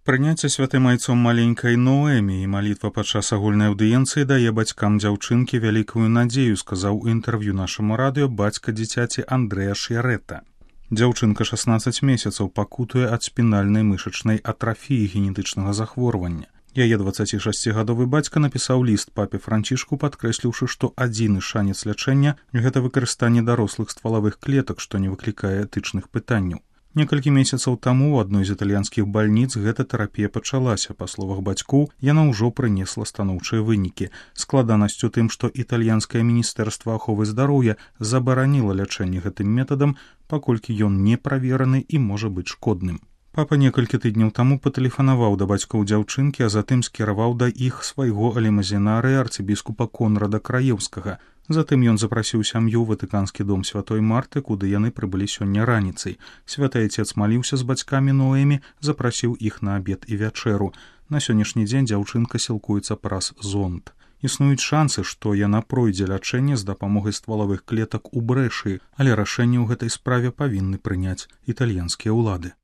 Прыняцце святым айцом маленькай Ноэмі і малітва падчас агульнай аўдыенцыі дае бацькам дзяўчынкі вялікую надзею, сказаў у інтэрв'ю нашаму радыё бацька дзіцяці Андрэа Ш'ярэта. Дзяўчынка 16 месяцаў пакутуе ад спінальнай мышачнай атрафіі генетычнага захворвання. Яе 26гадовы бацька напісаў ліст папе Францішку, падкрэсліўшы, што адзіны шанец лячэння – гэта выкарыстанне дарослых ствалавых клетак, што не выклікае этычных пытанняў. Некалькі месяцаў таму ў адной з італьянскіх бальніц гэта тэрапія пачалася. Па словах бацькоў, яна ўжо прынесла станоўчыя вынікі. Складанасць у тым, што італьянскае міністэрства аховы здароўя забараніла лячэнне гэтым метадам, паколькі ён не правераны і можа быць шкодным. Папа некалькі тыдняў таму патэлефанаваў да бацькоў дзяўчынкі, а затым скіраваў да іх свайго алімазінарыя арцыбіскупа Конрада Краеўскага. Затым ён запрасіў сям'ю ў Ватыканскі дом святой Марты, куды яны прыбылі сёння раніцай. Святы айцец маліўся з бацькамі Ноэмі, запрасіў іх на абед і вячэру. На сённяшні дзень дзяўчынка сілкуецца праз зонд. Існуюць шансы, што яна пройдзе лячэнне з дапамогай ствалавых клетак у Брэшыі, але рашэнне ў гэтай справе павінны прыняць італьянскія ўлады.